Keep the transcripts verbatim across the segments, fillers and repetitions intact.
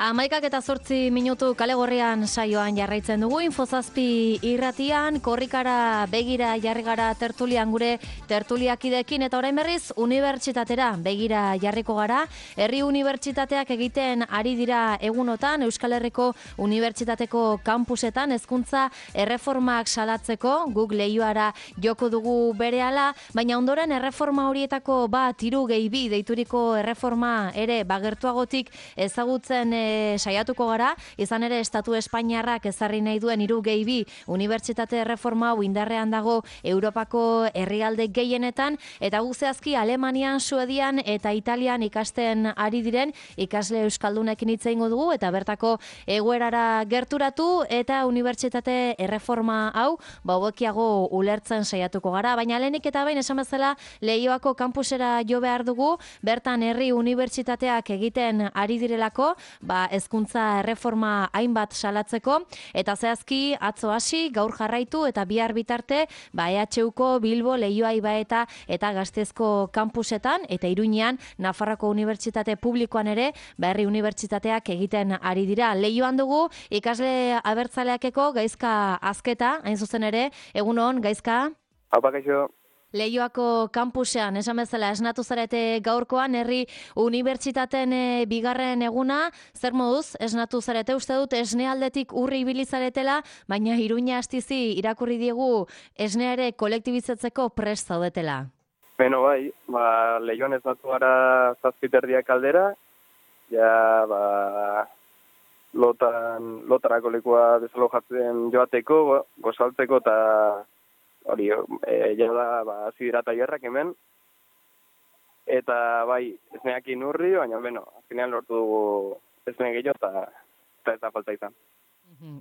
Hamaikak eta zortzi minutu kale gorrian saioan jarraitzen dugu, Infozazpi irratian, korrikara begira jarri gara tertulian gure tertuliakidekin, eta orain berriz unibertsitatera begira jarriko gara. Herri unibertsitateak egiten ari dira egunotan, Euskal Herriko Unibertsitateko kampusetan hezkuntza erreformak salatzeko, guk leioara joko dugu berehala, baina ondoren erreforma horietako bat hiru gehi bi deituriko erreforma ere bagertuagotik ezagutzen e, saiatuko gara, izan ere Estatu Espainiarrak ezarri nahi duen hiru gehi bi unibertsitate erreforma hau indarrean dago Europako herrialde gehienetan, eta guk zehazki Alemanian, Suedian eta Italian ikasten ari diren ikasle euskaldunekin hitz egingo dugu, eta bertako egoerara gerturatu eta unibertsitate erreforma hau ba hobekiago ulertzen saiatuko gara, baina lehenik eta behin esan bezala Leioako kampusera jo behar dugu, bertan herri unibertsitateak egiten ari direlako, ba hezkuntza erreforma hainbat salatzeko, eta zehazki atzo hasi, gaur jarraitu eta bihar bitarte ba E H Uko Bilbo, Leioa, Ibaeta eta Gasteizko kampusetan, eta Iruñean Nafarroako Unibertsitate Publikoan ere ba herri unibertsitateak egiten ari dira. Leioan dugu ikasle abertzaleakeko Gaizka Azketa, hain zuzen ere, egun on, Gaizka? Haupa, kaixo. Leioako kampusean, esan bezala, esnatu zarete gaurkoan, herri unibertsitateen e, bigarren eguna, zer moduz, esnatu zarete, uste dut, esnealdetik urri ibili zaretela, baina Iruña astizi irakurri diegu esnea ere kolektibizatzeko prest zaudetela. Beno bai, ba, Leioan esnatu gara zazpiterdiak aldera, ja, ba, lotan, lotarako lekua desalojatzen joateko, gozaltzeko eta hori, e, jada, ba, zidirata jarrak hemen, eta bai, esneakin urri, baina, beno, azkenean lortu dugu esne gehiago, eta, eta ez da falta izan.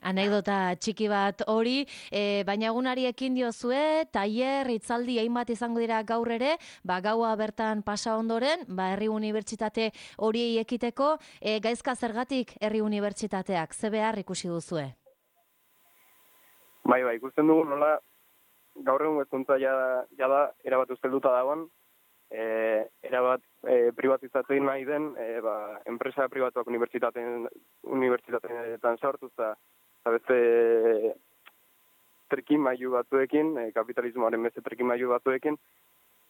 Anekdota txiki bat hori, e, baina egunari ekin diozue, tailer, hitzaldi hainbat izango dira gaur ere, ba, gaua bertan pasa ondoren, ba, herri unibertsitate horiei ekiteko, e, Gaizka zergatik herri unibertsitateak, ze behar ikusi duzue? Bai, bai, ikusten dugu nola, gaur egun hezkuntza ja, ja da, erabat ustelduta dagoen, e, erabat e, privatizatzen nahi den, e, ba, enpresa pribatuak unibertsitateen, unibertsitateetan sartu, eta beste trikimailu batzuekin, e, kapitalismoaren beste trikimailu batzuekin,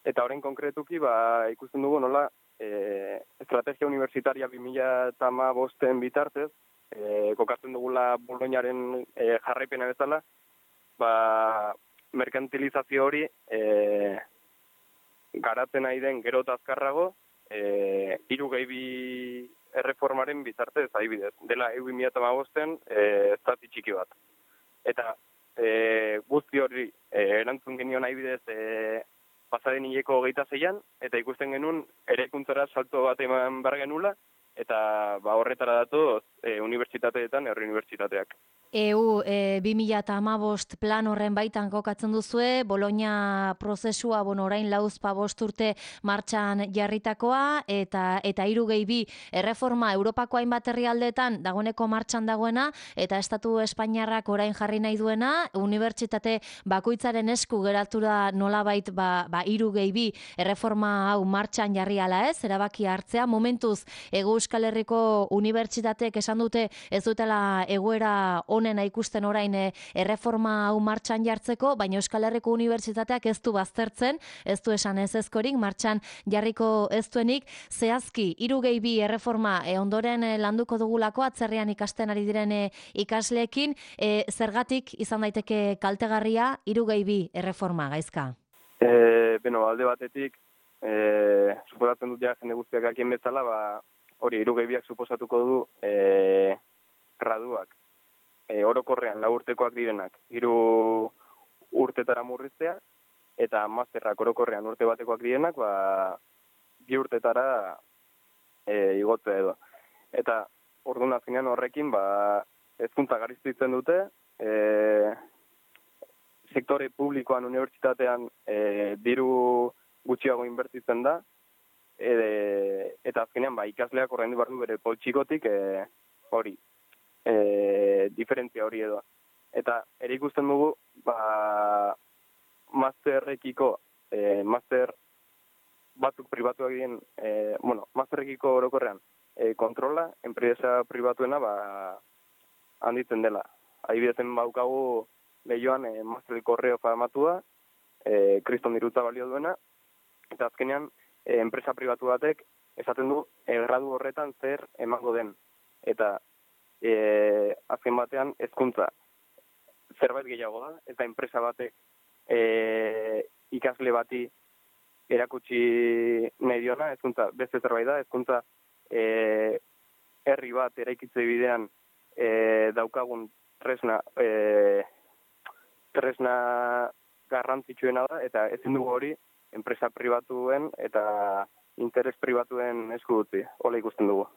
eta horren konkretuki ba, ikusten dugu nola e, estrategia universitaria bi mila hamabosten bitartez, e, kokatzen dugula Boloñaren e, jarraipena bezala, ba, merkantilizazio hori e, garatzen nahi den gero eta azkarrago e, hiru gehi bi erreformaren bitartez adibidez. Dela E U bi mila hamabosten e, zati txiki bat. Eta e, guzti hori e, erantzun genion adibidez e, pasaden hileko hogeita zeian, eta ikusten genuen eraikuntzara salto bat eman behar genula, eta ba, horretara datoz e, unibertsitateetan, herri unibertsitateak. E U e, bi mila hamabost plan horren baitan kokatzen duzue, Bologna prozesua, bueno, orain lauzpa bost urte martxan jarritakoa, eta eta hiru gehi bi erreforma Europako hainbat herrialdeetan dagoeneko martxan dagoena, eta Estatu Espainiarrak orain jarri nahi duena, unibertsitate bakoitzaren esku geratu da nolabait ba, ba hiru gehi bi erreforma hau martxan jarri ala ez, erabaki hartzea, momentuz Hego Euskal Herriko unibertsitateek esan dute ez dutela egoera honena ikusten orain e, erreforma hau martxan jartzeko, baina Euskal Herriko Unibertsitateak ez du baztertzen, ez du esan ez ezkorik, martxan jarriko ez duenik, zehazki, hiru gehi bi erreforma e, ondoren e, landuko dugulako, atzerrian ikasten ari diren e, ikasleekin, e, zergatik izan daiteke kaltegarria hiru gehi bi erreforma, Gaizka? E, beno, alde batetik, e, suposatzen dut ja jende guztiak akien bezala, ba, hori hiru gehi biak suposatuko du e, graduak. E, orokorrean lau urtekoak direnak, hiru urtetara murriztea, eta masterrak orokorrean urte batekoak direnak, ba, bi urtetara e, igotzea edo. Eta orduan azkenean horrekin, ba, hezkuntza garestitzen dute, e, sektore publikoan, unibertsitatean e, diru gutxiago inbertitzen da, e, eta azkenean ba, ikasleak ordaindu behar du bere poltsikotik e, hori. E, diferentzia hori edo. Eta ere ikusten dugu, ba, masterrekiko, e, master batzuk pribatuak diren, e, bueno, masterrekiko orokorrean, e, kontrola, enpresa pribatuena ba, handitzen dela. Adibidezen baukagu lehioan e, Master Correo famatua, e, kriston dirutza balio duena, eta azkenean e, enpresa pribatu batek esaten du e, gradu horretan zer emango den. Eta e, azken batean hezkuntza zerbait gehiago da, eta enpresa batek e, ikasle bati erakutsi nahi diona, hezkuntza beste zerbait da, hezkuntza e, herri bat eraikitze bidean e, daukagun tresna e, tresna garrantzitsuena da, eta ezin dugu hori enpresa pribatuen eta interes pribatuen esku utzi, hola ikusten dugu.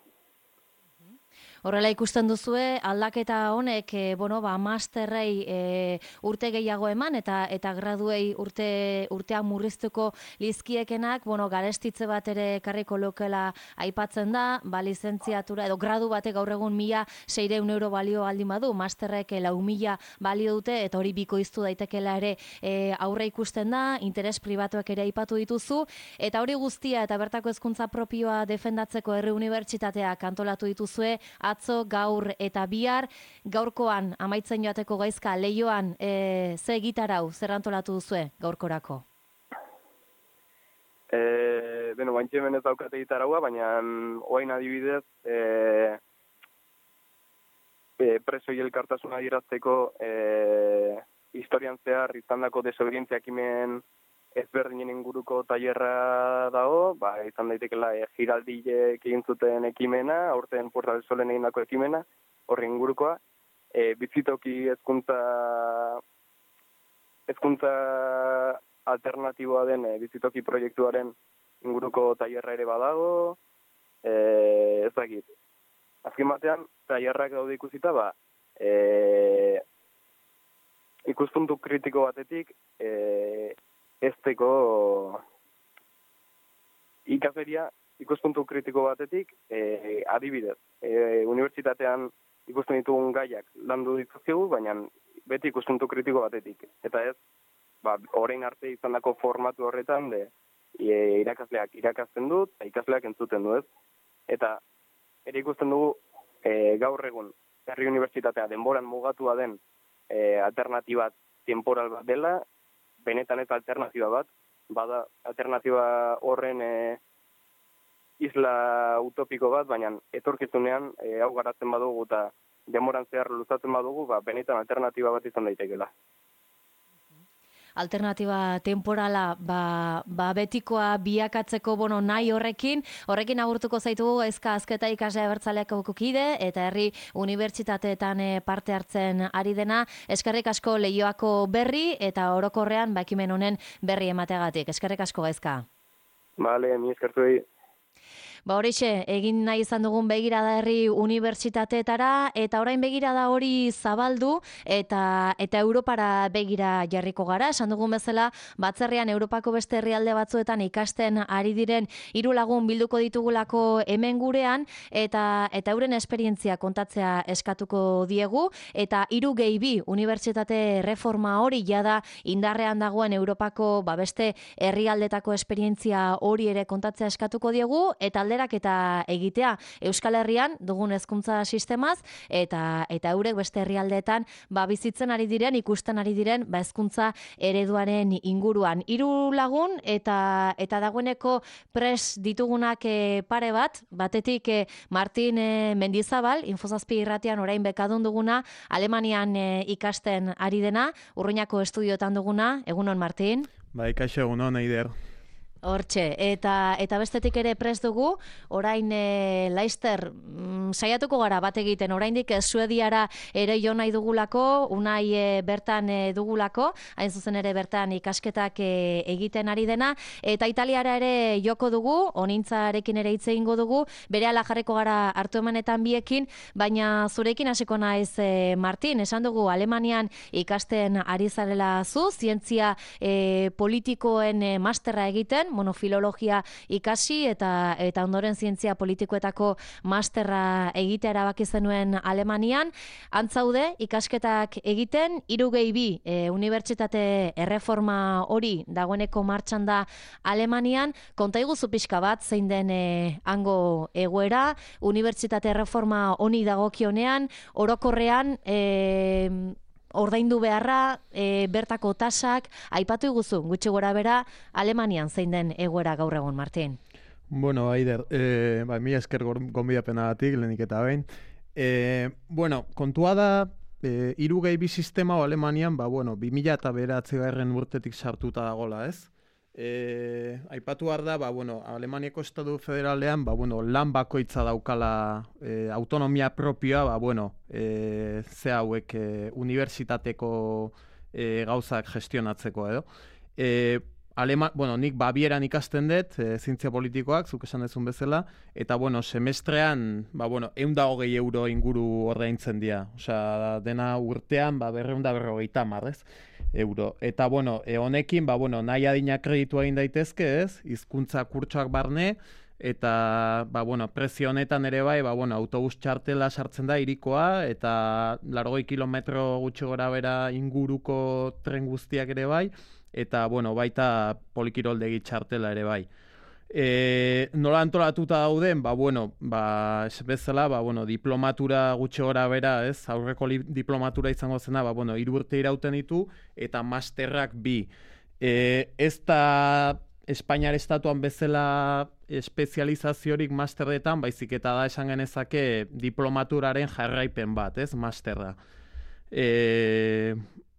Horrela ikusten duzue, aldaketa honek, e, bueno, ba, masterrei e, urte gehiago eman, eta eta graduei urte urtean murriztuko lizkiekenak, bueno, garestitze bat ere karriko lokela aipatzen da, ba, lizentziatura, edo gradu batek gaur egun mila seireun euro balio aldin badu, masterrek lau mila balio dute, eta hori bikoiztu daitekela ere e, aurre ikusten da, interes pribatuak ere aipatu dituzu, eta hori guztia, eta bertako hezkuntza propioa defendatzeko Herri Unibertsitateak antolatu dituzue, atzo, gaur eta bihar, gaurkoan amaitzen joateko gaizka Leioan e, ze egitarau zer antolatu duzue gaurkorako? E, beno, baintxe hemen ez daukate egitaraua, baina oain adibidez e, e, presoi elkartasuna adierazteko e, historian zehar izandako desobedientzia ekimen ezberdinen inguruko tailerra dago, ba, izan daitekela e, giraldiek egin zuten ekimena, aurten Puerta del Solen egindako ekimena, horri ingurukoa, e, bizitoki hezkuntza hezkuntza alternatiboa den e, bizitoki proiektuaren inguruko tailerra ere badago, e, ez dakit. Azken batean, tailerrak daude ikusita, ba, e, ikuspuntu kritiko batetik, e, ezteko ikasleria ikuspuntu kritiko batetik e, adibidez. E, unibertsitatean ikusten ditugun gaiak landu dituzkigu, baina beti ikuspuntu kritiko batetik. Eta ez, ba, orain arte izandako formatu horretan de e, irakasleak irakasten dut, eta ikasleak entzuten du ez. Eta ere ikusten dugu e, gaur egun Herri Unibertsitatea denboran mugatua den e, alternatiba temporal bat dela, benetan ez alternatiba bat, bada alternatiba horren e, isla utopiko bat, baina etorkizunean e, hau garatzen badugu eta demoran zehar luzatzen badugu, ba, benetan alternatiba bat izan daitekela. Alternatiba temporala ba, ba betikoa biakatzeko bono nahi horrekin, horrekin agurtuko zaitugu ezka azketa ikasle abertzaleak kide eta Herri Unibertsitateetan parte hartzen ari dena. Eskerrik asko Leioako berri eta orokorrean ba ekimen honen berri emateagatik. Eskerrik asko gaizka. Vale, mi eskertuei. Ba horixe, egin nahi izan dugun begirada Herri Unibertsitateetara, eta orain begirada hori zabaldu, eta eta Europara begira jarriko gara. Esan dugun bezala, batzerrian Europako beste herrialde batzuetan ikasten ari diren hiru lagun bilduko ditugulako hemen gurean, eta eta euren esperientzia kontatzea eskatuko diegu, eta hiru gehi bi unibertsitate reforma hori jada indarrean dagoen Europako ba beste herrialdetako esperientzia hori ere kontatzea eskatuko diegu, eta eta egitea Euskal Herrian dugun hezkuntza sistemaz eta eta eurek beste herrialdeetan ba bizitzen ari diren, ikusten ari diren ba hezkuntza ereduaren inguruan. Hiru lagun eta eta dagoeneko pres ditugunak e, pare bat, batetik e, Martin e, Mendizabal, Infozazpi irratian orain bekadun duguna, Alemanian e, ikasten ari dena, Urruñako estudioetan duguna. Egunon Martin? Bai, kaixo, egunon, Eider. Hortxe, eta eta bestetik ere prest dugu, orain e, Laister mm, saiatuko gara bat egiten, oraindik Suediara ere jo nahi dugulako, unai e, bertan e, dugulako, hain zuzen ere bertan ikasketak e, egiten ari dena, eta Italiara ere joko dugu, onintzarekin ere hitz egingo dugu, berehala jarriko gara hartu emanetan biekin, baina zurekin hasiko naiz e, Martin, esan dugu Alemanian ikasten ari zarela zu, zientzia e, politikoen e, masterra egiten, bueno, filologia ikasi eta eta ondoren zientzia politikoetako masterra egitea erabaki zenuen Alemanian. Antzaude ikasketak egiten, hiru gehi bi e, unibertsitate erreforma hori dagoeneko martxan da Alemanian. Konta iguzu pixka bat zein den e, hango egoera, unibertsitate erreforma honi dagokionean, orokorrean e, ordaindu beharra, e, bertako tasak, aipatu iguzu, gutxi gora bera, Alemanian zein den egoera gaur egun, Martin? Bueno, Aider, e, ba, mila esker gonbidapenagatik, lehenik eta behin. E, bueno, kontua da, e, hiru gehi bi sistema o Alemanian, ba, bueno, bi mila eta bederatzigarren urtetik sartuta dagola, ez? E, aipatu behar da, ba, bueno, Alemaniako Estatu Federalean, ba, bueno, lan bakoitza daukala e, autonomia propioa, ba, bueno, e, ze hauek e, unibertsitateko e, gauzak gestionatzeko edo. E, Alema, bueno, nik Babieran ikasten dut, e, zientzia politikoak, zuk esan dezun bezala, eta, bueno, semestrean, ba, bueno, ehun eta hogei euro inguru ordaintzen dira. Osea, dena urtean, ba, berrehun eta berrogeita hamar, ez? Euro. Eta, bueno, e, honekin, ba, bueno, nahi adina kreditua egin daitezke, ez? Hizkuntza kurtsoak barne, eta, ba, bueno, prezio honetan ere bai, ba, bueno, autobus txartela sartzen da irikoa, eta largoi kilometro gutxi gora bera inguruko tren guztiak ere bai, eta, bueno, baita polikiroldegi txartela ere bai. E, nola antolatuta dauden, ba, bueno, ba, ez bezala, ba, bueno, diplomatura gutxi gora bera, ez, aurreko diplomatura izango zena, ba, bueno, hiru urte irauten ditu, eta masterrak bi. E, ez da Espainiar estatuan bezala espezializaziorik masterretan, baizik eta da esan genezake diplomaturaren jarraipen bat, ez, masterra. E,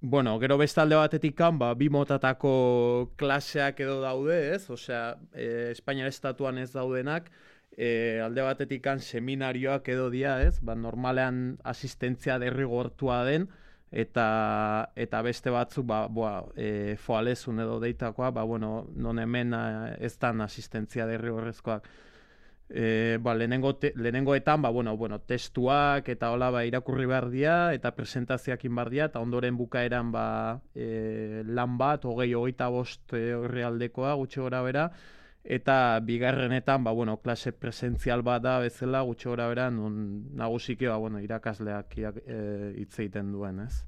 Bueno, gero bestalde batetik kan, ba, bi motatako klaseak edo daude, ez? Osea, e, Espainiar estatuan ez daudenak, e, alde batetik kan seminarioak edo dia, ez? Ba, normalean asistentzia derrigortua den, eta eta beste batzuk, ba, boa, e, foalezun edo deitakoa, ba, bueno, non hemen ez dan asistentzia derrigorrezkoak. E, ba, lehenengo te, lehenengoetan ba, bueno, bueno, testuak eta hola ba, irakurri behar dira eta presentazioak behar dira eta ondoren bukaeran ba, e, lan bat, hogei, hogeita bost horri aldekoa gutxi gora bera, eta bigarrenetan ba, bueno, klase presentzial bat da bezala gutxi gora bera nun nagusiki ba, bueno, irakasleak e, hitz egiten duen, ez?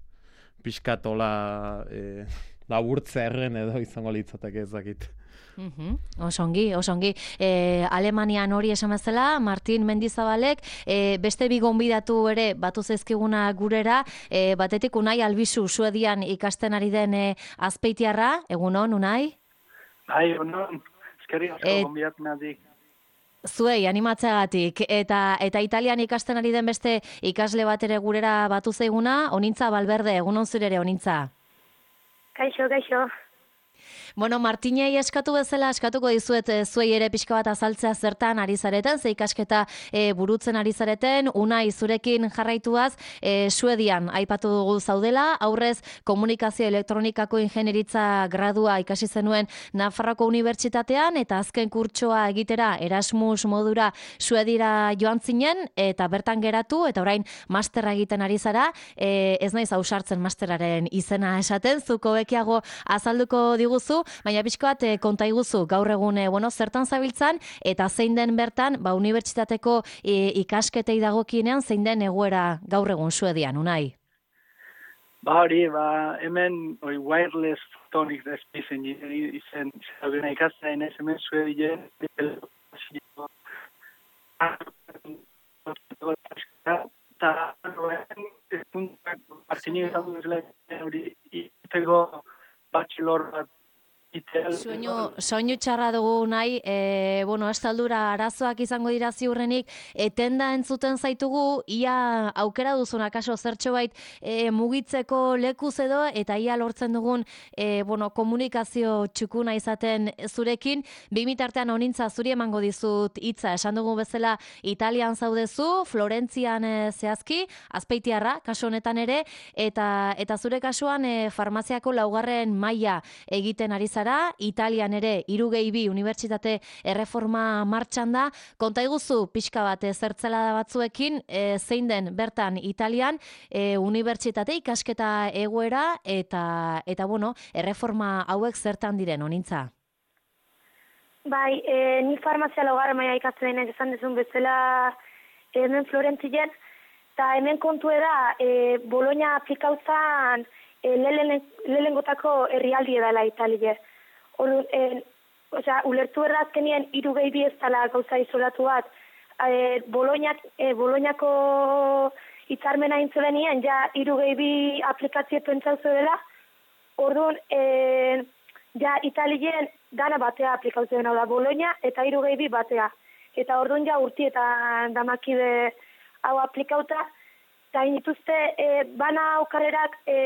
Pixkat hola e, laburtze erren edo izango litzateke ezakit. Uhum. Osongi, osongi. E, Alemanian hori esan bezala, Martin Mendizabalek, e, beste bi gonbidatu ere batu zaizkiguna gurera, e, batetik Unai Albizu Suedian ikasten ari den e, azpeitiarra, egunon, Unai? Bai, egunon, eskerri asko e, gonbidapenatik. Zuei, animatzeagatik, eta eta Italian ikasten ari den beste ikasle bat ere gurera batu zaiguna, Onintza Balberde, egunon zure ere, Onintza? Kaixo, kaixo. Bueno, Martinei eskatu bezala, eskatuko dizuet e, zuei ere pixka bat azaltzea zertan ari zareten, ze ikasketa e, burutzen ari zareten, Unai zurekin jarraituaz, e, Suedian aipatu dugu zaudela, aurrez komunikazio elektronikako ingenieritza gradua ikasi zenuen Nafarroako Unibertsitatean, eta azken kurtsoa egitera Erasmus modura Suedira joan zinen, eta bertan geratu, eta orain masterra egiten ari zara, e, ez naiz ausartzen masteraren izena esaten, zuko bekiago azalduko diguzu, baina pixko bat e, konta iguzu gaur egun e, bueno, zertan zabiltzan eta zein den bertan ba, unibertsitateko e, ikasketei dagokienean zein den egoera gaur egun Suedian, Unai? Ba hori, ba, hemen oi, wireless photonics da espizien izen zabena ikasten ez hemen Suedien eta Martini izan duzela hori iteko bachelor bat Soinu, soinu txarra dugu nahi, e, bueno, estaldura arazoak izango dira ziurrenik, etenda entzuten zaitugu, ia aukera duzun akaso zertxo bait e, mugitzeko lekuz edo, eta ia lortzen dugun e, bueno, komunikazio txukuna izaten zurekin, bimitartean Onintza zuri emango dizut hitza, esan dugu bezala Italian zaudezu, Florentzian e, zehazki, Azpeitiarra, kasu honetan ere, eta, eta zure kasuan e, farmaziako laugarren maila egiten ari zara, Italian ere hiru gehi bi unibertsitate erreforma martxan da. Konta iguzu pixka bat zertzela da batzuekin, e, zein den bertan Italian e, unibertsitate ikasketa egoera eta eta bueno, erreforma hauek zertan diren, Onintza? Bai, e, ni farmazia laugarra maila ikasten denek esan dezun bezala hemen Florentzien, eta hemen kontu da, e, Bologna aplikauzan e, lelengotako herrialdi edala Italie. Orduan, e, osea, ulertu errazkenien hiru gehi bi ez dela gauza isolatu bat, e, Bolognak, e, Bolognako hitzarmena intzulenien, ja hiru gehi bi aplikazio pentsauzu dela, orduan, e, ja Italien dana batea aplikazioen hau da Bologna eta hiru gehi bi batea. Eta orduan ja urtietan damakide hau aplikauta, eta inituzte e, bana aukarrerak e,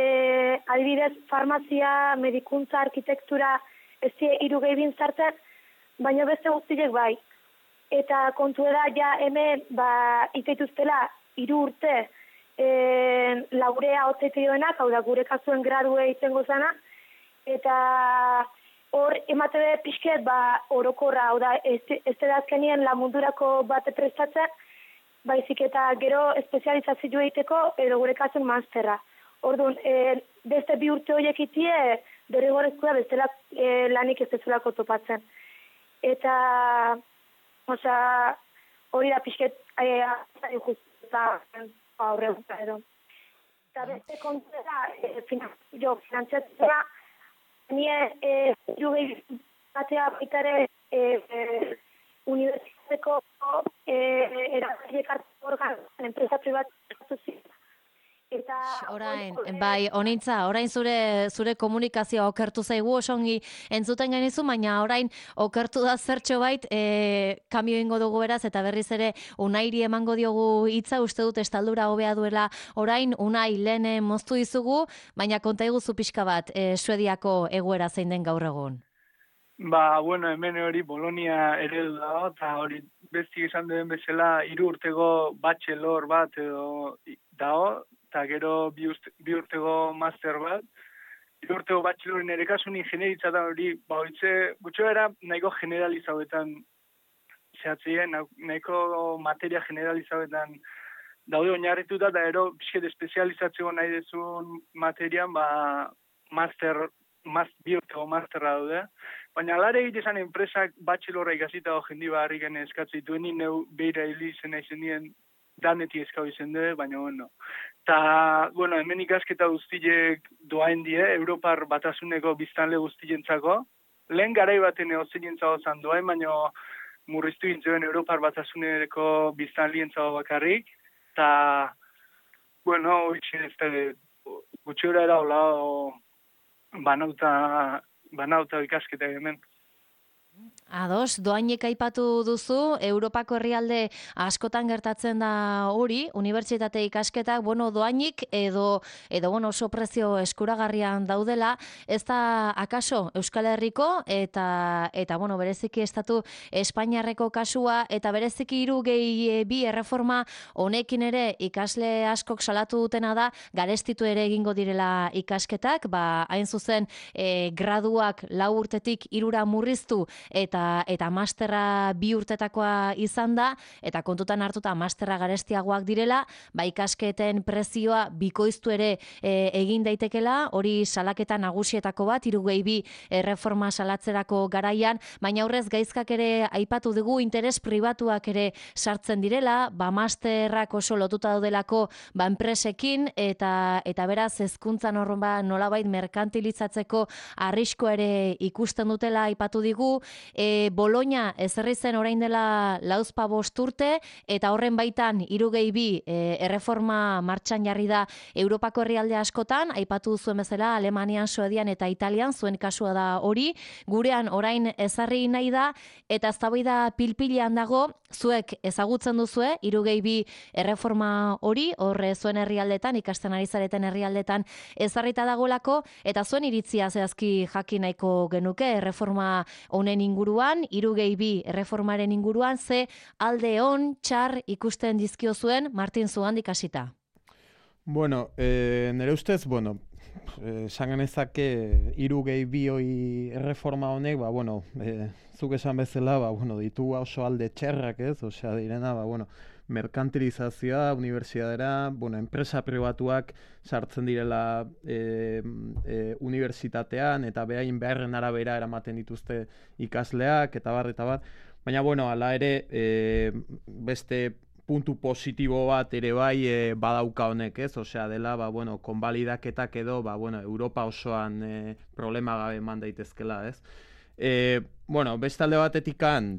adibidez farmazia, medikuntza, arkitektura ez die hiru gehi bin zartzen, baina beste guztiek bai. Eta kontu da ja hemen ba, iteituztela hiru urte e, laurea hotzeitioenak, hau da gure kasuen gradue izango zana, eta hor emate be pixket ba orokorra, hau da, ez, ez da azkenien la mundurako bate prestatzen, baizik eta gero espezializazio egiteko edo gure kasun masterra. Orduan, e, beste bi urte horiek itie, derrigorezkoa bestela e, lanik ez dezulako topatzen. Eta, osea, hori da pixket e, justa aurreguta edo. Eta beste kontu da, e, finan, jo, finantziatzea, Nie, eh, jugei batea baitare eh, eh, unibertsitateko eh, erabakiek hartu organ, enpresa pribatu ziren. Eta orain, bai, honintza, orain zure zure komunikazioa okertu zaigu osongi entzuten genizu, baina orain okertu da zertxo bait, e, kambio ingo dugu beraz, eta berriz ere Unairi emango diogu hitza, uste dut estaldura hobea duela orain, Unai lehen moztu dizugu, baina konta iguzu pixka bat, e, Suediako egoera zein den gaur egun. Ba, bueno, hemen hori Bolonia eredu dago, eta hori bestik esan den bezala hiru urtego bachelor bat edo dago, eta gero bi, urte, bi urtego master bat, bi urtego bachelorin ere kasun ingenieritza da hori, ba, horitze, gutxo era nahiko generalizauetan zehatzien, nahiko materia generalizauetan daude oinarrituta, eta gero pixket espezializatzeko nahi dezun materian, ba, master, maz, bi urtego masterra daude, baina alare egite esan enpresak bachelorra ikasita o jendi barri gene eskatzen duen, neu beira hili izena izan dien, daneti eskau izan duen, baina bueno. Ta, bueno, hemen ikasketa guztiek doain die, Europar batasuneko biztanle guztientzako. Lehen garai baten egozenentzago zan doain, baina murriztu gintzen Europar batasuneko biztanlientzago bakarrik. Ta, bueno, hoitxe ez da, gutxora era hola, banauta, banauta ikasketa hemen. Ados, doainek aipatu duzu, Europako herrialde askotan gertatzen da hori, unibertsitate ikasketak, bueno, doainik edo, edo bueno, oso prezio eskuragarrian daudela, ez da akaso Euskal Herriko eta, eta bueno, bereziki estatu Espainiarreko kasua, eta bereziki hiru gehi bi erreforma honekin ere ikasle askok salatu dutena da, garestitu ere egingo direla ikasketak, ba, hain zuzen e, graduak lau urtetik hirura murriztu, eta eta masterra bi urtetakoa izan da, eta kontutan hartuta masterra garestiagoak direla, ba ikasketen prezioa bikoiztu ere e, egin daitekela, hori salaketa nagusietako bat, hiru gehi bi erreforma salatzerako garaian, baina aurrez gaizkak ere aipatu dugu, interes pribatuak ere sartzen direla, ba masterrak oso lotuta daudelako ba enpresekin, eta eta beraz hezkuntzan horren ba nolabait merkantilizatzeko arrisko ere ikusten dutela aipatu digu. E, Bologna ezarri zen orain dela lauzpa bost urte, eta horren baitan hiru gehi bi e, erreforma martxan jarri da Europako herrialde askotan, aipatu zuen bezala Alemanian, Suedian eta Italian, zuen kasua da hori, gurean orain ezarri nahi da, eta eztabaida pilpilean dago, zuek ezagutzen duzue hiru gehi bi erreforma hori, horre zuen herrialdetan, ikasten ari zareten herrialdetan ezarrita dagolako, eta zuen iritzia zehazki jakin nahiko genuke erreforma honen inguruan, hiru gehi bi erreformaren inguruan, ze alde on, txar ikusten dizkio zuen Martin Zugandik hasita. Bueno, eh, nire ustez, bueno, esan genezake hiru gehi bi hoi erreforma honek, ba, bueno, eh, zuk esan bezala, ba, bueno, ditu oso alde txerrak, ez? Osea, direna, ba, bueno, merkantilizazioa, unibertsitatera, bueno, enpresa pribatuak sartzen direla e, e, unibertsitatean, eta behain beharren arabera eramaten dituzte ikasleak, eta bar, eta bar. Baina, bueno, hala ere, e, beste puntu positibo bat ere bai e, badauka honek, ez? Osea, dela, ba, bueno, konbalidaketak edo, ba, bueno, Europa osoan e, problema gabe eman daitezkela, ez? E, bueno, beste alde batetikan,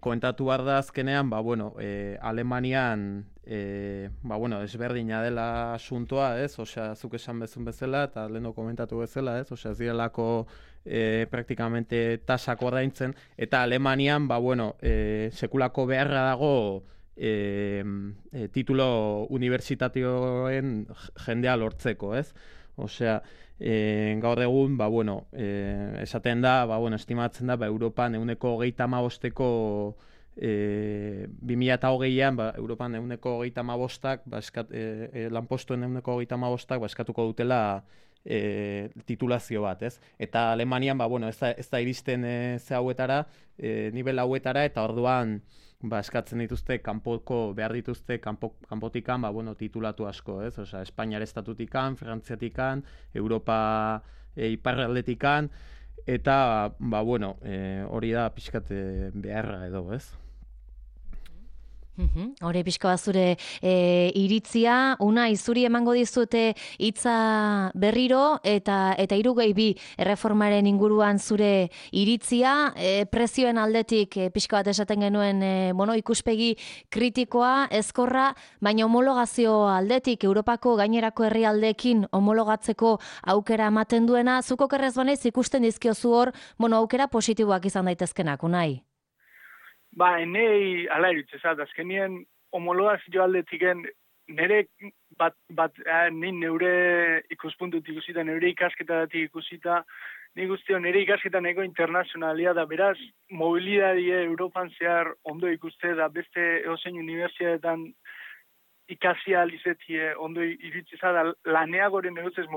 komentatu behar da azkenean, ba, bueno, e, Alemanian, e, ba, bueno, ezberdina dela asuntoa, ez? Osea, zuk esan bezun bezala, eta leheno komentatu bezala, ez? Osea, ez direlako e, praktikamente tasak ordaintzen, eta Alemanian, ba, bueno, e, sekulako beharra dago E, e, titulo unibertsitatioen jendea lortzeko, ez? Osea, e, gaur egun, ba, bueno, e, esaten da, ba, bueno, estimatzen da, ba, Europan euneko hogeita hamabosteko e, bi mila eta hogeian, ba, Europan euneko hogeita hamabostak, ba, eskat, e, e, lanpostuen euneko hogeita hamabostak, ba, eskatuko dutela e, titulazio bat, ez? Eta Alemanian, ba, bueno, ez da, ez da iristen e, ze hauetara, e, nivel hauetara, eta orduan, ba, eskatzen dituzte, kanpoko, behar dituzte, kanpo, kanpotikan, ba, bueno, titulatu asko, ez? Osea, Espainiar estatutikan, Frantziatikan, Europa e, iparraldetikan, eta, ba, bueno, e, hori da pixkat beharra edo, ez? Hore pixka bat zure e, iritzia, una izuri emango dizute hitza berriro eta eta hirugei bi erreformaren inguruan zure iritzia, e, prezioen aldetik e, pixka bat esaten genuen e, bueno, ikuspegi kritikoa, ezkorra, baina homologazio aldetik Europako gainerako herrialdeekin homologatzeko aukera ematen duena, zuko kerrez banaiz ikusten dizkiozu hor, bueno, aukera positiboak izan daitezkenak, unai? Ba, enei ala irutzezat, azkenien homologazio aldetiken nire bat, bat eh, nin neure ikuspuntut ikusita, neure ikasketatik ikusita, nik guztio nire ikasketa neko internazionalia da, beraz, mobilidadie Europan zehar ondo ikuste da, beste eozein unibertsitatetan ikasi alizetie ondo irutzeza da, laneagoren neuzez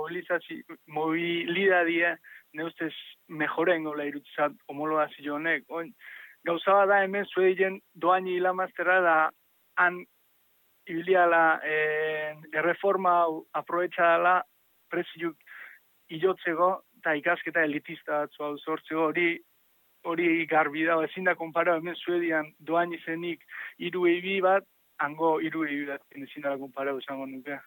mobilidadie neuzez mejoren gola irutzezat homologazio honek, oin, gauza da hemen zueien doaini hilamazterra da han ibiliala eh, erreforma aprobetxadala preziuk ilotzeko eta ikasketa elitista batzu hau sortzeko hori hori garbi da, ezin da konpara hemen zuedian doaini zenik hiru ebi bat, hango hiru ebi bat ezin da konpara esango nuke.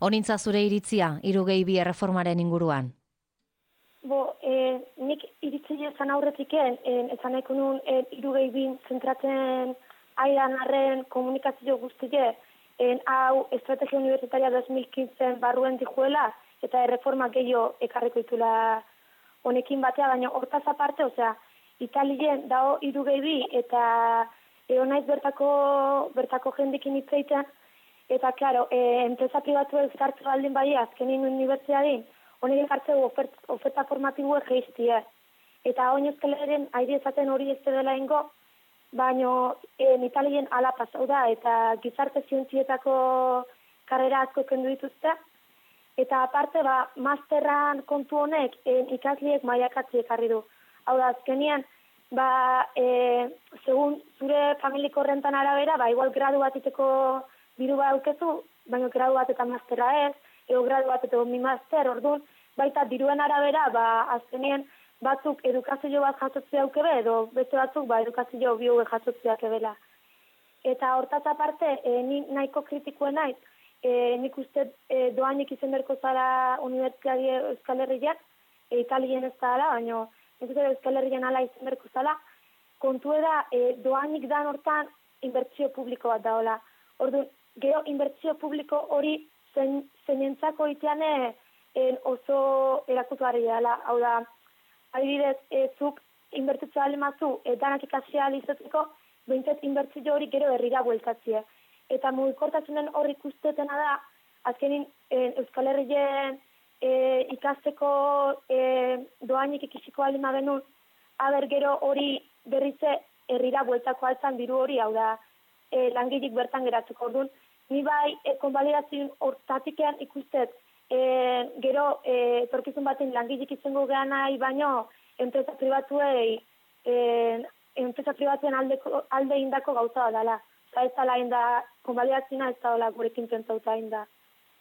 Honintza zure iritzia hirugei bi erreformaren inguruan? Bo, eh, nik iritzile zan aurretiken, eh, ezan nahiko nun eh, hirugei bi zentratzen aidan arren komunikazio guztie, eh, hau estrategia universitaria dos mil quince barruen dijuela, eta erreforma gehiago ekarriko itula honekin batea, baina hortaz aparte, osea, Italien dao hirugei bi eta eonaiz bertako, bertako jendekin hitzeiten, eta, klaro, eh, enpresa pribatu ezkartzu baldin bai azkenin unibertsiadin, honek ekartzeu ofert, oferta formatiboa geiztie. Eta hori Euskal Herrian aire ezaten hori ez dela ingo, baina en Italien ala pasau da, eta gizarte zientzietako karrera asko kendu dituzte. Eta aparte, ba, masterran kontu honek en ikasliek mailakatzi ekarri du. Hau da, azkenian, ba, e, segun zure familiko rentan arabera, ba, igual gradu bat iteko biru ba aukezu, baina gradu bat eta masterra ez, ego gradu bat eta mi master, orduan, baita diruen arabera, ba, azkenien batzuk edukazio bat jasotzea aukebe, edo beste batzuk, ba, edukazio bioge jasotzeak ebela. Eta hortaz aparte, e, ni nahiko kritikuen naiz, e, nik uste e, doainik izen berko zara Unibertsitate Euskal Herriak, e, Italien ez da ala, baina nik uste Euskal Herrian ala izen berko zala, kontu da, e, doainik dan hortan inbertsio publiko bat daola. Orduan, gero inbertsio publiko hori Zen, zeinentzako iteane en oso erakutuari dela. Hau da, adibidez, e, zuk inbertitza alemazu, e, danak ikasia alizatzeko, behintzat inbertzio hori gero herrira bueltatzie. Eta mugikortasunen hori ikustetena da, azkenin e, Euskal Herrien e, ikasteko e, doainik ikisiko alima benun, aber gero hori berrize herrira bueltako altzan diru hori, hau da, e, langilik bertan geratuko orduan. Ni bai, e, konbalidazioen hortatikean ikustet, e, gero, e, torkizun baten langilik izango gehan nahi, baino, enpresa pribatuei e, enpresa pribatuen aldeko, alde indako gauza bat dela. Eta ez dela inda, konbalidatzina ez dela gurekin pentsauta inda,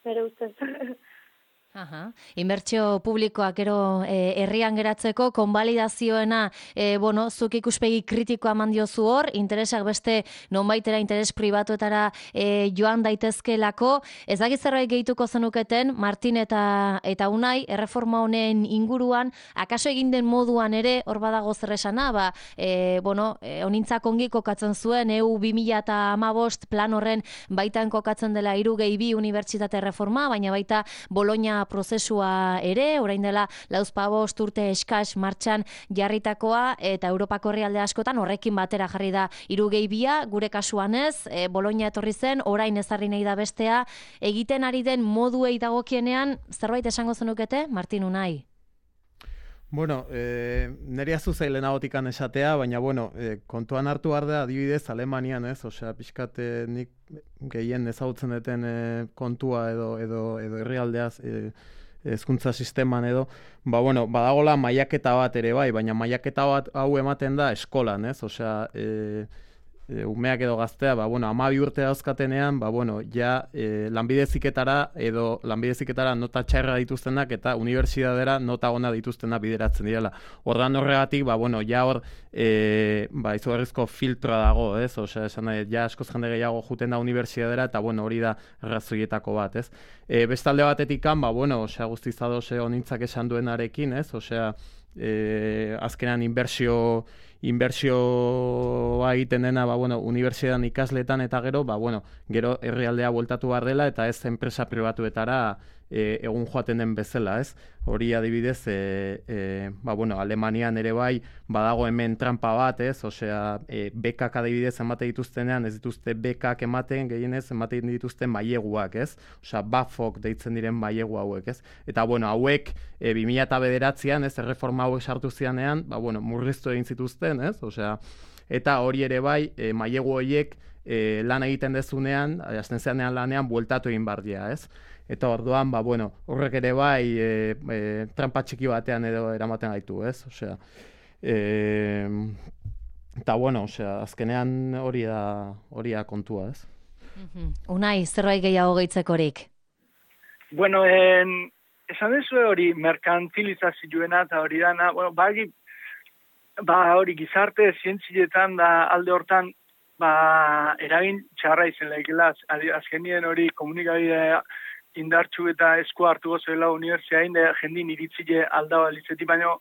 nire ustez. Aha. Inbertsio publikoak gero eh, herrian geratzeko konbalidazioena eh, bueno, zuk ikuspegi kritikoa eman diozu hor, interesak beste nonbaitera interes pribatuetara eh, joan daitezkelako. Ez dakit zerbait gehituko zenuketen Martin eta eta Unai erreforma honen inguruan, akaso egin den moduan ere hor badago zer esana, ba eh, bueno, eh, honintzak ongi kokatzen zuen E U bi mila hamabost plan horren baitan kokatzen dela hiru gehi bi unibertsitate reforma, baina baita Bologna prozesua ere, orain dela lauzpabost urte eskas martxan jarritakoa, eta Europako herrialde askotan horrekin batera jarri da hiru gehi bia, gure kasuan ez, e, Bologna etorri zen, orain ezarri nahi da bestea, egiten ari den moduei dagokienean, zerbait esango zenukete, Martin Unai? Bueno, eh, nire azu zailen agotikan esatea, baina, bueno, eh, kontuan hartu behar da, adibidez, Alemanian, ez? Osea, pixkat eh, nik gehien ezagutzen duten eh, kontua edo edo edo herrialdeaz eh, hezkuntza sisteman edo, ba, bueno, badagola mailaketa bat ere bai, baina mailaketa bat hau ematen da eskolan, ez? Osea, eh, E, umeak edo gaztea, ba, bueno, hamabi urte dauzkatenean, ba, bueno, ja e, lanbide heziketara edo lanbide heziketara nota txarra dituztenak eta unibertsitatera nota ona dituztenak bideratzen direla. Ordan horregatik, ba, bueno, ja hor e, ba, izugarrizko filtroa dago, ez? Osea, esan nahi, ja askoz jende gehiago juten da unibertsitatera eta, bueno, hori da arrazoietako bat, ez? E, bestalde batetikan, ba, bueno, osea, guztiz adose honintzak esan duenarekin, ez? Osea, e, azkenan inbertsio inbertsioa egiten dena, ba, bueno, unibertsitatean ikasletan eta gero, ba, bueno, gero herrialdea bueltatu behar dela eta ez enpresa pribatuetara e, egun joaten den bezala, ez? Hori adibidez, e, e, ba, bueno, Alemanian ere bai, badago hemen trampa bat, ez? Osea, e, bekak adibidez ematen dituztenean, ez dituzte bekak ematen, gehienez ematen dituzten maileguak, ez? Osea, bafok deitzen diren mailegu hauek, ez? Eta, bueno, hauek e, bi mila bederatzian, ez, erreforma hauek sartu zianean, ba, bueno, murriztu egin zituzten, ez? Osea, eta hori ere bai, e, mailegu horiek e, lan egiten dezunean, hasten zeanean lanean, bueltatu egin bardia, ez? Eta orduan, ba, bueno, horrek ere bai e, e, trampa txiki batean edo eramaten gaitu, ez? Osea, e, eta bueno, osea, azkenean hori da, hori da kontua, ez? Unai, zerbait gehiago gehitzekorik? Bueno, en, esan dezu hori merkantilizazioena eta hori dana, bueno, bagi, ba hori gizarte zientzietan da alde hortan, ba eragin txarra izen laikela, azkenien hori komunikabidea indartxu eta esku hartu gozoela unibertsiain da jendin iritzile aldaba litzeti, baina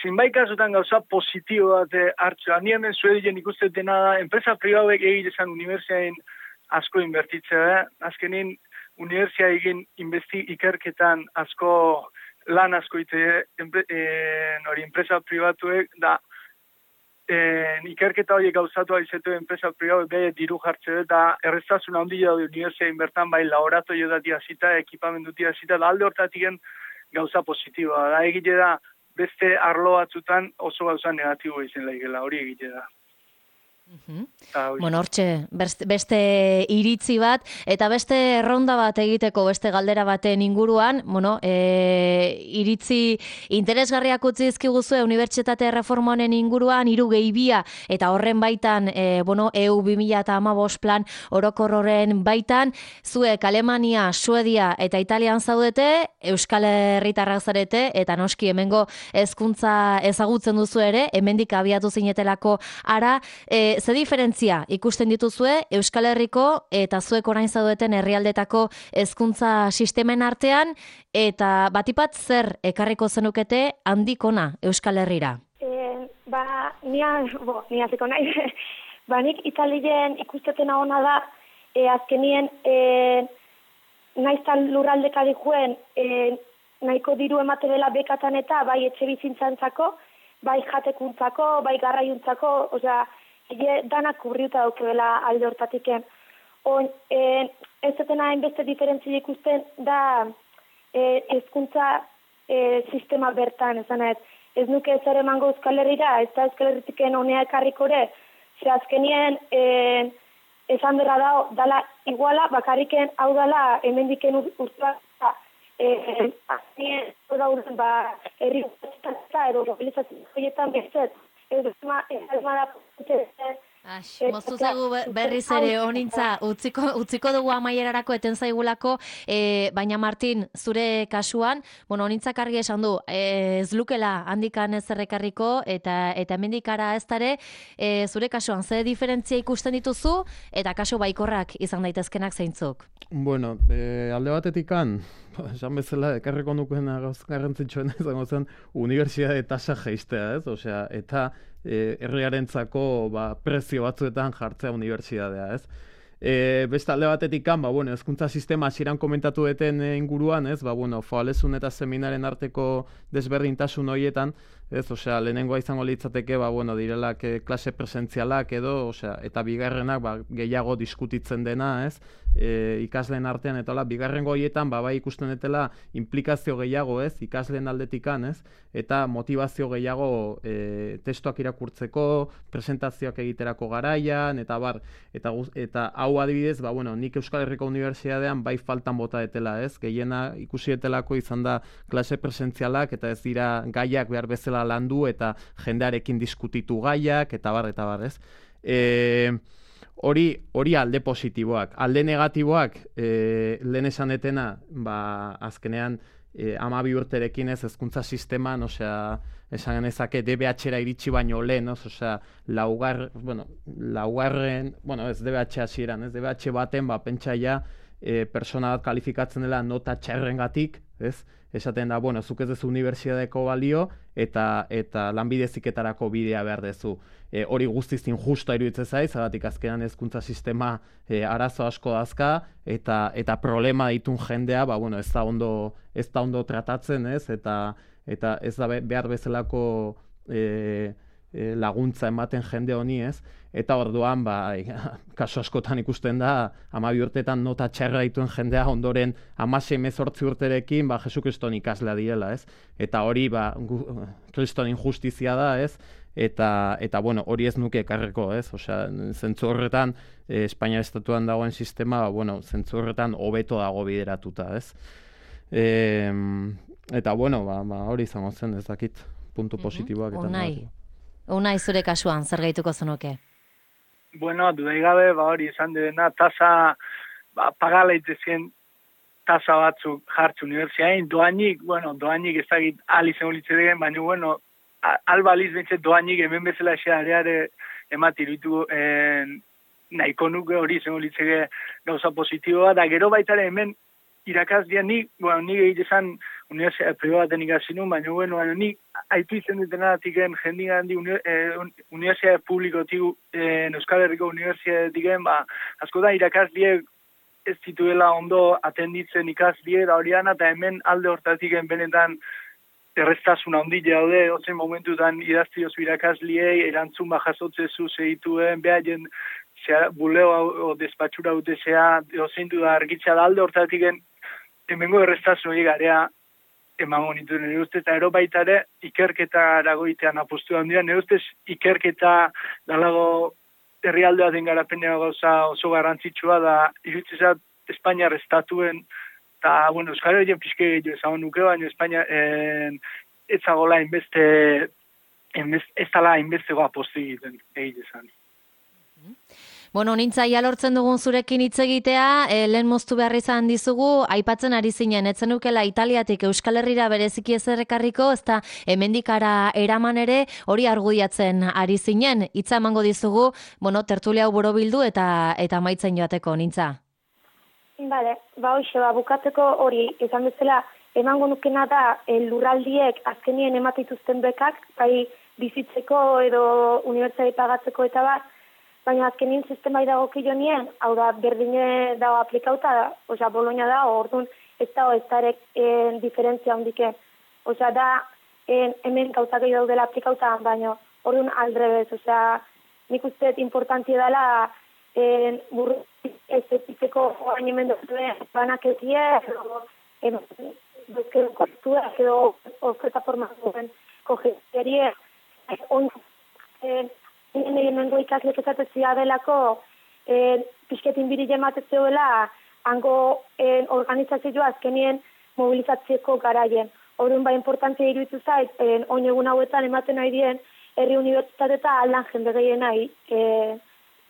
zinbait kasutan gauza positibo bat hartzu. Nien den zuedien ikusteten da, enpresa pribauek egitezan unibertsiain asko inbertitzea, azkenin unibertsia egin investi ikerketan asko lan asko ite hori enpresa pribatuek da En, ikerketa horiek gauzatu aizetu enpresa pribatu behe diru jartze eta erreztasuna handia daude unibertsiain bertan bai laboratorio datia zita, ekipamendutia zita, da alde hortatiken gauza positiboa. Da egite da beste arlo batzutan oso gauza negatibo izan laikela, hori egite da. Uh-huh. Bueno, hortxe, beste iritzi bat, eta beste ronda bat egiteko beste galdera baten inguruan, bueno, e, iritzi interesgarriak utzi dizkiguzue unibertsitate reforma honen inguruan, hiru gehi bia, eta horren baitan, e, bueno, E U bi mila hamabost plan orokor horren baitan, zuek Alemania, Suedia eta Italian zaudete, Euskal Herritarrak zarete, eta noski hemengo hezkuntza ezagutzen duzu ere, hemendik abiatu zinetelako ara, e, ze diferentzia ikusten dituzue Euskal Herriko eta zuek orain zaudeten herrialdetako hezkuntza sistemen artean, eta batipat zer ekarriko zenukete handikona Euskal Herrira? E, ba, nia, bo, nia ziko nahi, ba, nik Italien ikustetena ona da, e, azkenien, e, naiztan lurraldeka dihuen, e, nahiko diru emate dela bekatan eta bai etxe bizintzantzako, bai jatekuntzako, bai garraiuntzako, osea, Ege danak kubriuta daukebela alde hortatiken. On, e, ez zetena hainbeste diferentzia ikusten da e, hezkuntza e, sistema bertan, esan ez. Ez nuke zer emango Euskal Herrira, ez da Euskal Herritiken honea ekarrikore, ze azkenien e, esan berra dao, dala iguala, bakarriken hau dala hemendiken urtua, azkenien dauden ba, herri eta edo mobilizazioetan bezet, eduma da Ax, moztu zaigu berriz ere honintza, utziko, utziko dugu amaierarako eten zaigulako, e, baina Martin, zure kasuan, bueno, honintzak argi esan du, e, ez lukela handikan ez errekarriko, eta eta hemendikara ez dare, e, zure kasuan, ze diferentzia ikusten dituzu, eta kasu baikorrak izan daitezkenak zeintzuk? Bueno, e, alde batetikan, esan bezala, ekarreko nukeen garrantzitsuena izango zen, unibertsitate tasa jeistea, ez? Osea, eta e, herriarentzako ba, prezio batzuetan jartzea unibertsitatea, ez? E, beste alde batetikan, ba, bueno, hezkuntza sistema hasieran komentatu deten inguruan, ez? Ba, bueno, foalezun eta seminaren arteko desberdintasun horietan, ez? Osea, lehenengoa izango litzateke, ba, bueno, direlak e, klase presentzialak edo, osea, eta bigarrenak ba, gehiago diskutitzen dena, ez? E, ikasleen artean eta hola, bigarrengo horietan ba, bai ikusten dutela implikazio gehiago, ez? Ikasleen aldetikan, ez? Eta motivazio gehiago e, testuak irakurtzeko, presentazioak egiterako garaian, eta bar, eta, eta hau adibidez, ba, bueno, nik Euskal Herriko Unibertsitatean bai faltan bota detela, ez? Gehiena ikusi detelako izan da klase presentzialak, eta ez dira gaiak behar bezala landu, eta jendearekin diskutitu gaiak, eta bar, eta bar, ez? E, hori, hori alde positiboak. Alde negatiboak, e, lehen esan etena, ba, azkenean, e, amabi urterekin ez hezkuntza sisteman, osea, esan genezake D B H-era iritsi baino lehen, osea, laugar, bueno, laugarren, bueno, ez D B H hasieran, ez D B H baten, ba, pentsaia, e, persona bat kalifikatzen dela nota txarrengatik, ez? Esaten da, bueno, zuk ez dezu unibertsitateko balio eta eta lanbide heziketarako bidea behar dezu. E, hori guztiz injusta iruditzen zaiz, zagatik azkenan hezkuntza sistema e, arazo asko dazka eta eta problema ditun jendea, ba, bueno, ez da ondo ez da ondo tratatzen, ez? Eta eta ez da behar bezalako e, e, laguntza ematen jende honi, ez? Eta orduan, ba, kasu askotan ikusten da, hamabi urtetan nota txarra dituen jendea ondoren hamasei hemezortzi urterekin, ba, Jesu Kriston ikaslea direla, ez? Eta hori, ba, Kriston injustizia da, ez? Eta, eta bueno, hori ez nuke ekarreko, ez? Osea, zentzu horretan, eh, Espainia estatuan dagoen sistema, ba, bueno, zentzu horretan hobeto dago bideratuta, ez? E, eta, bueno, ba, ba, hori izango zen, ez dakit, puntu positiboak eta negatiboak. Unai, zure kasuan, zer gehituko zenuke? Bueno, dudai gabe, ba hori izan dena, tasa, ba, pagala itezien tasa batzuk jartzu unibertsiain, doainik, bueno, doainik ez dakit alizen ulitzedegen, baina, bueno, albaliz bentset doainik hemen bezala eseareare ematirutu eh, nahiko nuke hori izan ulitzege gauza positiboa, da gero baitare hemen irakasdia nik, bueno, nik egitezan unibertsitate pribaten ikasinun, baina, bueno, baina nik haitu izan dutenatiken jendik handi eh, unibertsitate publikotik eh, Euskal Herriko unibertsitatetik, ba, asko da irakasdiek ez zituela ondo atenditzen ikasdie da horian, eta hemen alde hortatik benetan erreztasuna ondile daude, ozen momentutan idaztiozu irakasliei, erantzun bajazotzezu segituen, behaien buleo o despatxura dute zea, ozentu da argitza da alde hortatik hemengo erreztasun hori garea emango nituen nire ustez, eta ero baitare ikerketa eragoitean apostu handia, nire ustez ikerketa dalago herrialdea den garapenea gauza oso garrantzitsua da, irutzezat Espainiar estatuen, eta, bueno, Euskal Herrien pixke gehiago ezagun nuke, baina Espainia eh, ez zagola inbeste, ez dala inbestego apostu egiten egitezan. Bueno, nintzaia lortzen dugun zurekin hitz egitea, e, lehen moztu behar izan dizugu, aipatzen ari zinen, etzen ukela Italiatik Euskal Herrira bereziki ez errekarriko, ezta hemendikara eraman ere, hori argudiatzen ari zinen, hitza emango dizugu, bueno, tertulia hau borobildu eta eta amaitzen joateko, nintza. Bale, ba hoxe, ba, bukatzeko hori, esan bezala, emango nukena da e, lurraldiek azkenien ematituzten bekak, bai bizitzeko edo unibertsitate pagatzeko eta bat, baina azkenin sistemai dago kilonien, hau da, berdine dago aplikauta, osea, Bologna da, orduan ez dago ez darek en, diferentzia hondike. Osea, da, en, hemen gauzak egin daudela aplikauta, baina orduan aldrebez, osea, nik usteet importantia dela, en, burru ez eziteko oain hemen duzuen banaketie, edo duzkero kostua, edo oferta formazioen kogeterie, on, en, Hemengo ikaslek esatzea delako eh, pixketin biri jematezeoela hango eh, organizazioa azkenien mobilizatzeko garaien. Horren ba importantzia iruditu zait, eh, oin egun hauetan ematen nahi dien herri unibertsitate eta aldan jende gehiena e,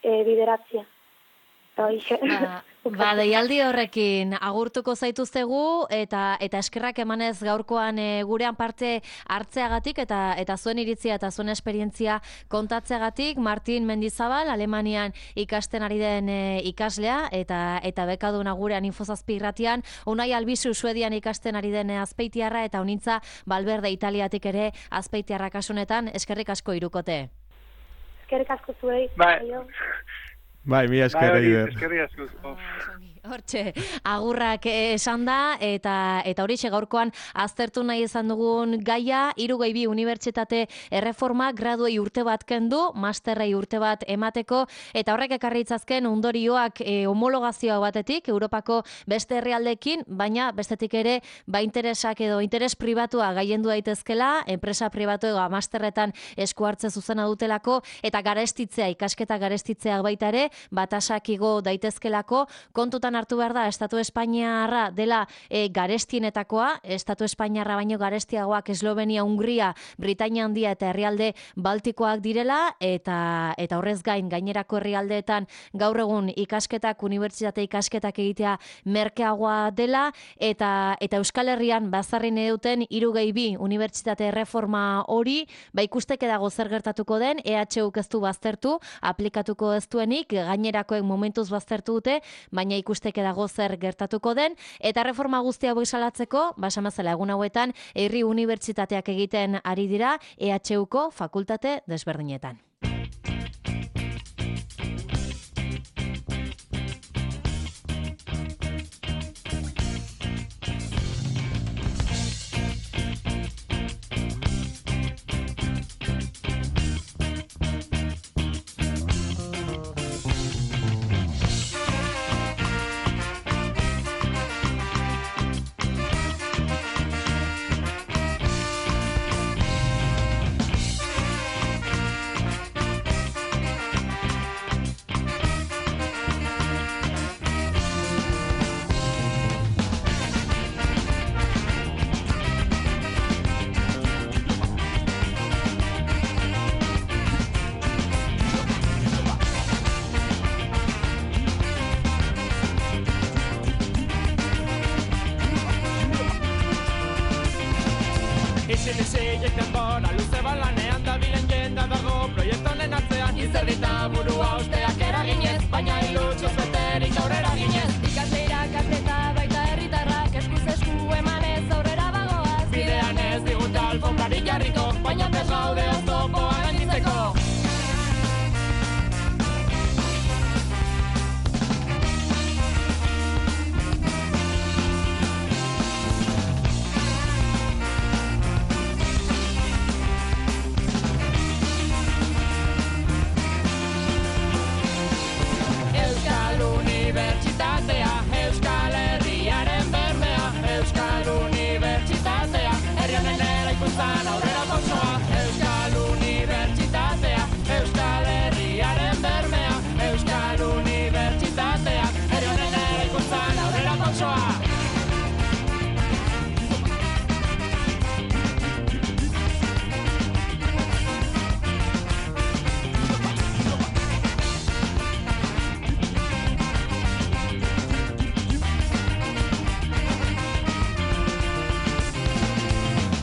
e, bideratzia. Ba, ba, deialdi horrekin agurtuko zaituztegu eta eta eskerrak emanez gaurkoan e, gurean parte hartzeagatik eta eta zuen iritzia eta zuen esperientzia kontatzeagatik. Martin Mendizabal, Alemanian ikasten ari den e, ikaslea eta eta bekaduna gurean Infozazpi irratian, Unai Albizu Suedian ikasten ari den azpeitiarra eta Unintza Balberde Italiatik ere azpeitiarra kasunetan. Eskerrik asko hirukote. Eskerrik asko zuei. Bai. Bai, mi esker Eider. Eskerrik asko. Hortxe, agurrak esan da, eta eta horixe gaurkoan aztertu nahi izan dugun gaia, Hirurogei bi unibertsitate erreforma graduei urte bat kendu, masterrei urte bat emateko, eta horrek ekarri itzazken ondorioak e, homologazioa batetik, Europako beste herrialdeekin, baina bestetik ere, ba interesak edo interes pribatua gaiendu daitezkela, enpresa pribatu ega masterretan esku hartze zuzena dutelako, eta garestitzea, ikasketa garestitzea baita ere, batasak igo daitezkelako, kontutan hartu behar da, Estatu Espainiarra dela e, garestienetakoa, Estatu Espainiarra baino garestiagoak Eslovenia, Hungria, Britainia Handia eta herrialde Baltikoak direla, eta eta horrez gain gainerako herrialdeetan gaur egun ikasketak, unibertsitate ikasketak egitea merkeagoa dela, eta eta Euskal Herrian bazarrin eduten Hirurogei bi unibertsitate erreforma hori, ba ikusteke dago zer gertatuko den, E H Uk ez du baztertu, aplikatuko ez duenik, gainerakoek momentuz baztertu dute, baina ikuste dago zer gertatuko den, eta reforma guztia hau salatzeko, basamazela egun hauetan, herri unibertsitateak egiten ari dira E H Uko fakultate desberdinetan. Isil isilik denbora luze balanean dabilen jenda dago proiektu honen atzean izerdita